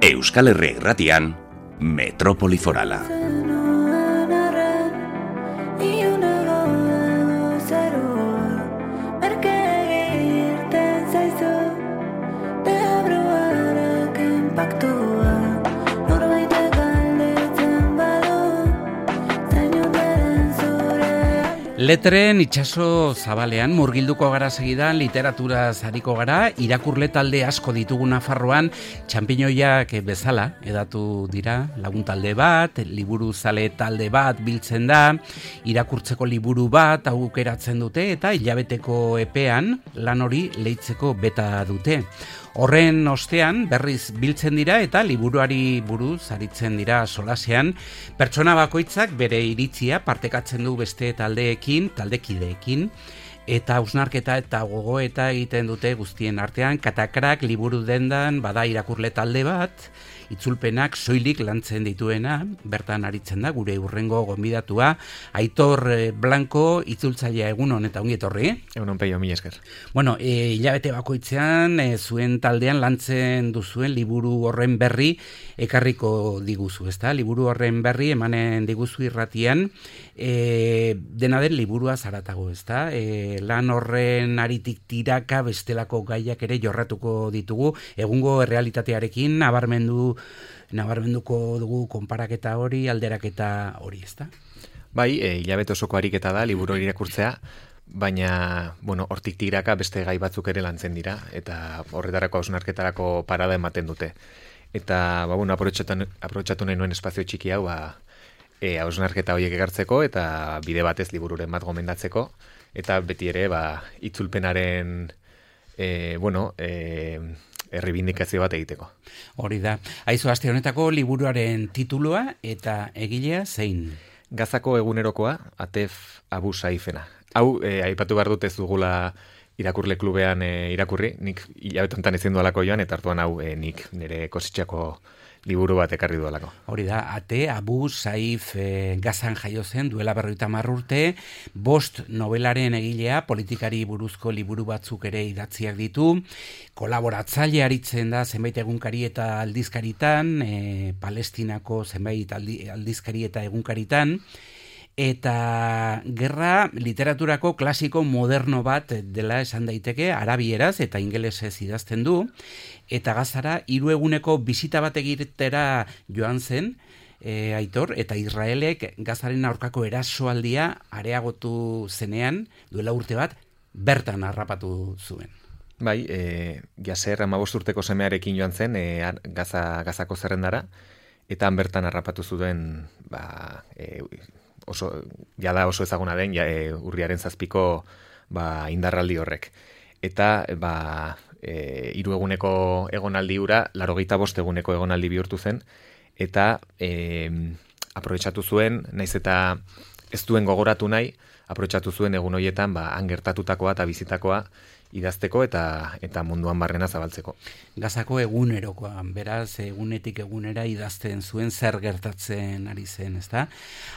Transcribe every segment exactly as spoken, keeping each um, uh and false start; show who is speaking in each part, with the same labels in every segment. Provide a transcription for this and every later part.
Speaker 1: Euskal Herria Irratian, Metropoli Forala.
Speaker 2: Letren itsaso zabalean murgilduko gara segidan, literatura zariko gara, irakurle talde asko ditugu Nafarroan, txanpinoiak bezala edatu dira, lagun talde bat, liburu zale talde bat biltzen da, irakurtzeko liburu bat aukeratzen dute eta hilabeteko epean lan hori leitzeko beta dute. Horren ostean berriz biltzen dira eta liburuari buruz aritzen dira solasean, pertsona bakoitzak bere iritzia partekatzen du beste taldeekin, taldekideekin, eta hausnarketa eta gogoeta egiten dute guztien artean. Katakrak liburu dendan bada irakurle talde bat, itzulpenak soilik lantzen dituena, bertan aritzen da gure hurrengo gonbidatua, Aitor Blanco, itzultzailea, egun hon eta ongi etorri.
Speaker 3: Egun hon peio, mila esker.
Speaker 2: Bueno, e, hilabete bakoitzean e, zuen taldean lantzen duzuen liburu horren berri ekarriko diguzu, ezta? Liburu horren berri emanen diguzu irratian, e, dena den liburua zaratago, ezta? E, lan horren aritik tiraka bestelako gaiak ere jorratuko ditugu, egungo errealitatearekin nabarmendu nabarmenduko dugu konparaketa hori, alderaketa hori, ezta?
Speaker 3: Bai, e, hilabete osoko ariketa da, liburu hori irakurtzea, baina, bueno, hortik tiraka beste gai batzuk ere lantzen dira, eta horretarako hausnarketarako parada ematen dute. Eta, ba, bueno, aprobetxatu nahi nuen espazio txiki hau, ba, e, hausnarketa horiek egartzeko, eta bide batez libururen bat gomendatzeko, eta beti ere, ba, itzulpenaren, e, bueno, e, errebindikazio bat egiteko.
Speaker 2: Hori da. Aizu, aste honetako liburuaren titulua eta egilea zein?
Speaker 3: Gazako egunerokoa, Atef Abu Saifena. Hau, eh, aipatu behar dut ez dugula irakurle klubean eh, irakurri, nik hilabetontan ezin dualako joan, eta hartuan hau eh, nik nire kositxako liburu bat ekarri duelako.
Speaker 2: Hori da, Ate Abu Saif e, Gazan jaio zen duela berrogeita hamar urte, bost nobelaren egilea, politikari buruzko liburu batzuk ere idatziak ditu, kolaboratzaile aritzen da zenbait egunkari eta aldizkaritan, e, Palestinako zenbait aldi, aldizkari eta egunkaritan, eta gerra literaturako klasiko moderno bat dela esan daiteke, arabieraz eta ingelesez idazten du, eta Gazara hiru eguneko bisita bat egitera joan zen, e, Aitor, eta Israelek Gazaren aurkako erasoaldia areagotu zenean, duela urte bat, bertan harrapatu zuen.
Speaker 3: Bai, e, Jaser hamabost urteko semearekin joan zen, e, Gaza, Gazako zerrendara, eta han bertan harrapatu zuen, ba, e, oso, jada oso ezaguna den, ja, e, urriaren zazpiko ba, indarraldi horrek. Eta, ba, e, hiru eguneko egonaldi hura, laurogeita bost eguneko egonaldi bihurtu zen, eta e, aprobetxatu zuen, naiz eta ez duen gogoratu nahi, aprobetxatu zuen egun horietan, ba, han gertatutakoa eta bizitakoa idazteko eta eta munduan barrena zabaltzeko.
Speaker 2: Gazako egunerokoan, beraz, egunetik egunera idazten zuen zer gertatzen ari zen, ezta?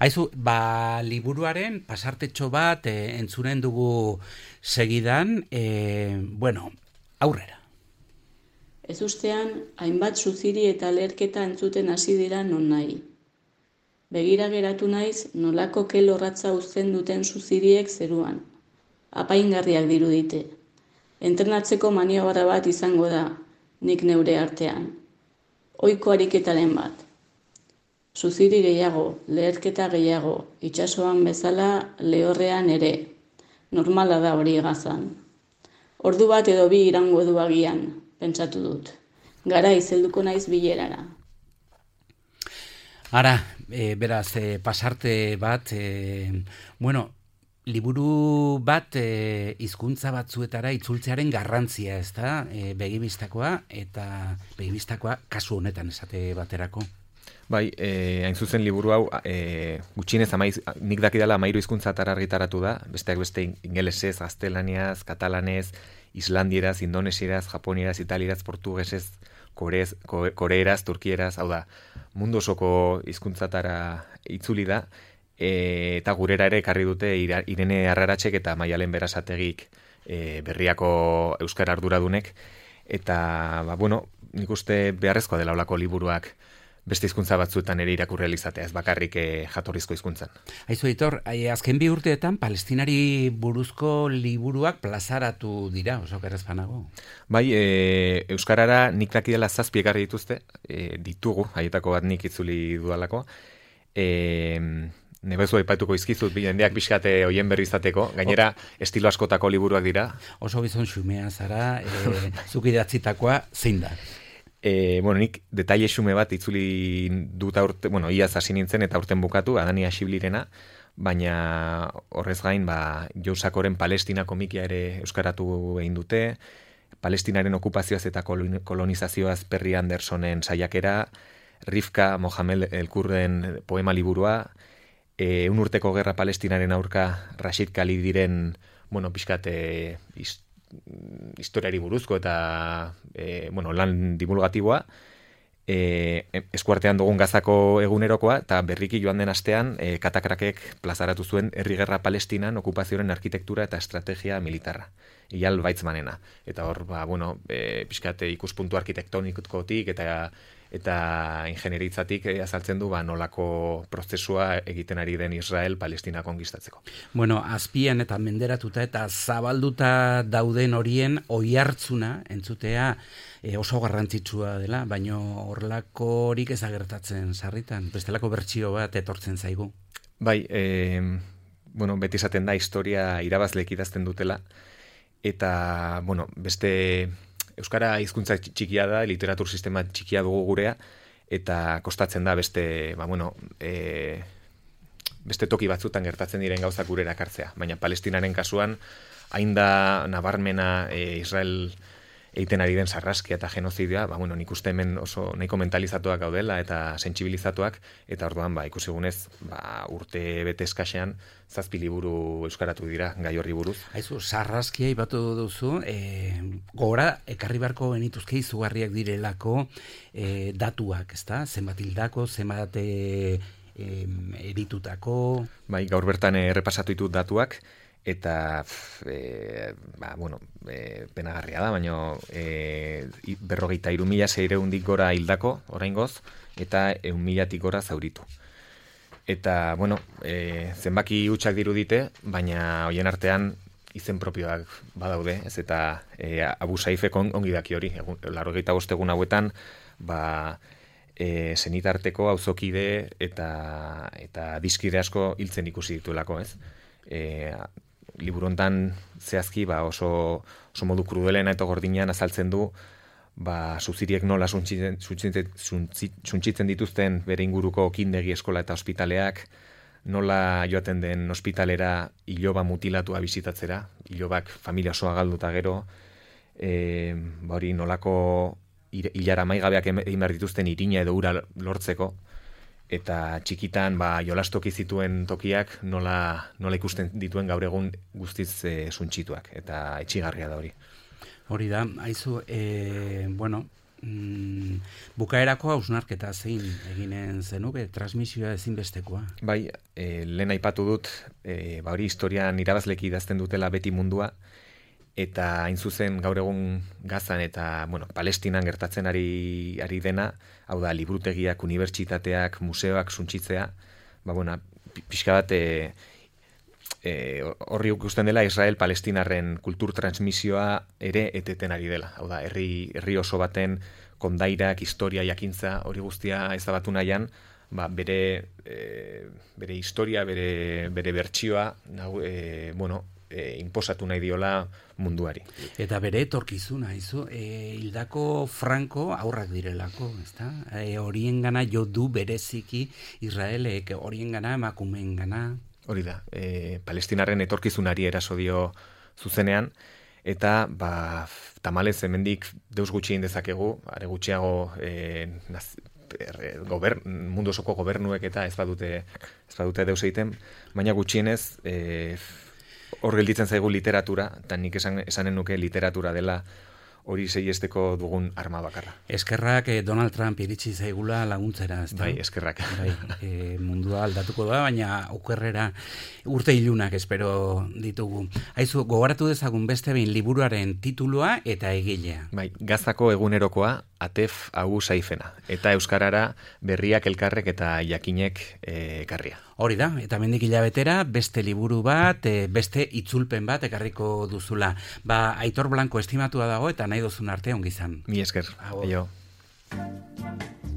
Speaker 2: Haizu, ba, liburuaren pasartetxo bat e, entzunen dugu segidan, e, bueno, aurrera.
Speaker 4: Ez ustean, hainbat suziri eta leherketa entzuten hasi dira non nahi. Begira geratu naiz, nolako kelorratza uzten duten suziriek zeruan. Apaingarriak dirudite. Entrenatzeko maniobra bat izango da, nik neure artean. Ohiko ariketaren bat. Suziri gehiago, leherketa gehiago, itsasoan bezala lehorrean ere. Normala da hori Gazan. Ordu bat edo bi irango du agian, pentsatu dut. Gara izelduko naiz bilerara.
Speaker 2: Ara, e, beraz, e, pasarte bat, e, bueno, liburu bat e, hizkuntza batzuetara itzultzearen garrantzia, ez da, e, begibistakoa, eta begibistakoa kasu honetan esate baterako.
Speaker 3: Bai, e, hain zuzen liburu hau, e, gutxienez amaiz, nik dakidala amairu hizkuntzatara argitaratu da, besteak beste ingelesez, gaztelaniaz, katalanez, islandieraz, indonesieraz, japonieraz, italieraz, portugesez, korez, koreeraz, turkieraz, hau da, mundu osoko hizkuntzatara itzuli da, e, eta gurera ere ekarri dute Irene Arraratsek eta Maialen Berasategik e, berriako euskara arduradunek, eta, ba, bueno, nik uste beharrezkoa dela olako liburuak beste hizkuntza batzuetan ere irakurri ahal izatea, ez bakarrik eh, jatorrizko hizkuntzan.
Speaker 2: Aizu, Aitor, azken bi urteetan palestinari buruzko liburuak plazaratu dira, oso gerrezpanago.
Speaker 3: Bai, e, euskarara nik dakidela zazpi ekarri dituzte, e, ditugu, haietako bat nik itzuli dudalako. E, Nebezu aipatuko izkizut, jendeak pixkate hoien berri izateko, gainera estilo askotako liburuak dira.
Speaker 2: Oso gizon xumea zara, e, zuk idatzitakoa zein da?
Speaker 3: E, bueno, nik detaile xume bat itzuli dut aurte, bueno, iaz hasi nintzen eta aurten bukatu, Adani Asiblirena, baina horrez gain, ba, Jousakoren Palestina komikia ere euskaratu egin dute, Palestinaren okupazioaz eta kolonizazioaz Perry Andersonen saiakera, Rifka Mohamed Elkurren poema liburua, e, un urteko gerra Palestinaren aurka Rashid Khalidiren, bueno, pixkate historiari buruzko eta e, bueno, lan divulgatiboa, e, eskuartean dugun Gazako egunerokoa, eta berriki joan den astean e, Katakrakek plazaratu zuen herri gerra Palestinan okupazioaren arkitektura eta estrategia militarra, Eyal Weizmanena. Eta hor, ba, bueno, e, pixkate ikuspuntu arkitektonikotik eta eta ingenieritzatik eh, azaltzen du ba, nolako prozesua egiten ari den Israel Palestina konkistatzeko.
Speaker 2: Bueno, azpian eta menderatuta eta zabalduta dauden horien oihartzuna entzutea e, oso garrantzitsua dela, baino horlako horik ez agertatzen sarritan, bestelako bertsio bat etortzen zaigu.
Speaker 3: Bai, e, bueno, beti esaten da historia irabazleek idazten dutela, eta, bueno, beste euskara hizkuntza txikia da, literatur sistema txikia dugu gurea, eta kostatzen da beste, ba, bueno, e, beste toki batzutan gertatzen diren gauzak gurera ekartzea. Baina Palestinaren kasuan, hain da nabarmena e, Israel egiten ari den sarraskia eta genozidioa, ba, bueno, nik uste hemen oso nahiko mentalizatuak gaudela eta sentsibilizatuak, eta orduan, ba, ikusigunez, ba, urte bete eskasean, zazpi liburu euskaratu dira gai horri buruz.
Speaker 2: Aizu, sarraskia ibatu duzu, e, gora, ekarri beharko genituzke izugarriak direlako e, datuak, ezta? Zenbat hildako, zenbat e, e, eritutako...
Speaker 3: Bai, gaur bertan errepasatu ditut datuak, eta e, ba, bueno, e, penagarria da, baina e, berrogeita hiru mila seiehundik gora hildako oraingoz, eta ehun milatik gora zauritu. Eta, bueno, e, zenbaki hutsak dirudite, baina hoien artean izen propioak badaude, ez eta e, Abu Saifek ongi daki hori, laurogeita bost egun hauetan, ba, e, senitarteko auzokide eta, eta dizkide asko hiltzen ikusi dituelako, ez? E, liburu hontan zehazki ba oso, oso modu krudelena eta gordinean azaltzen du ba suziriek nola suntzitzen, suntzitzen dituzten bere inguruko kindegi eskola eta ospitaleak, nola joaten den ospitalera iloba mutilatua bisitatzera, ilobak familia osoa galduta gero, e, ba hori nolako hilara maigabeak egin behar dituzten irina edo ura lortzeko, eta txikitan ba, jolastoki zituen tokiak nola, nola ikusten dituen gaur egun guztiz e, suntsituak, eta etxigarria da hori.
Speaker 2: Hori da, haizu, e, bueno, mm, bukaerako hausnarketa zein eginen zenuke, transmisioa ezinbestekoa.
Speaker 3: Bai, e, lehen aipatu dut, e, ba hori historian irabazleki idazten dutela beti mundua, eta hain zuzen gaur egun Gazan eta bueno, Palestinan gertatzen ari, ari dena, hau da, liburutegiak, unibertsitateak, museoak suntsitzea, ba, bueno, pixka bat e, e, horri ikusten dela Israel Palestinarren kultur transmisioa ere eteten ari dela. Hau da, herri, herri oso baten kondairak, historia, jakintza, hori guztia ezabatu nahian, ba, bere, e, bere historia, bere, bere bertsioa, nahu, e, bueno, E, inposatu nahi diola munduari.
Speaker 2: Eta bere etorkizuna, izu, e, hildako Franco aurrak direlako, ezta? E, horien gana jo du bereziki Israelek, horien gana emakumeen gana.
Speaker 3: Hori da, e, Palestinarren etorkizunari eraso dio zuzenean, eta ba, tamalez hemendik deus gutxi egin dezakegu, are gutxiago e, naz, er, gober, mundu osoko gobernuek eta ez badute, ez badute deus egiten, baina gutxienez e, hor gelditzen zaigu literatura, eta nik esan, esanen nuke literatura dela hori seiesteko dugun arma bakarra.
Speaker 2: Eskerrak eh, Donald Trump iritsi zaigula laguntzera, ezta?
Speaker 3: Bai, eskerrak.
Speaker 2: Bai, eh, mundua aldatuko da, baina okerrera urte ilunak espero ditugu. Aizu, gogoratu dezagun beste behin liburuaren titulua eta egilea.
Speaker 3: Bai, Gazako egunerokoa Atef Agu Saifena, eta euskarara Berriak elkarrek eta Jakinek ekarria.
Speaker 2: Hori da, eta mendik hilabetera beste liburu bat, e, beste itzulpen bat ekarriko duzula. Ba, Aitor Blanco estimatua dago eta nahi duzun arte ongi izan.
Speaker 3: Mi esker.
Speaker 2: Agur.
Speaker 3: Aio.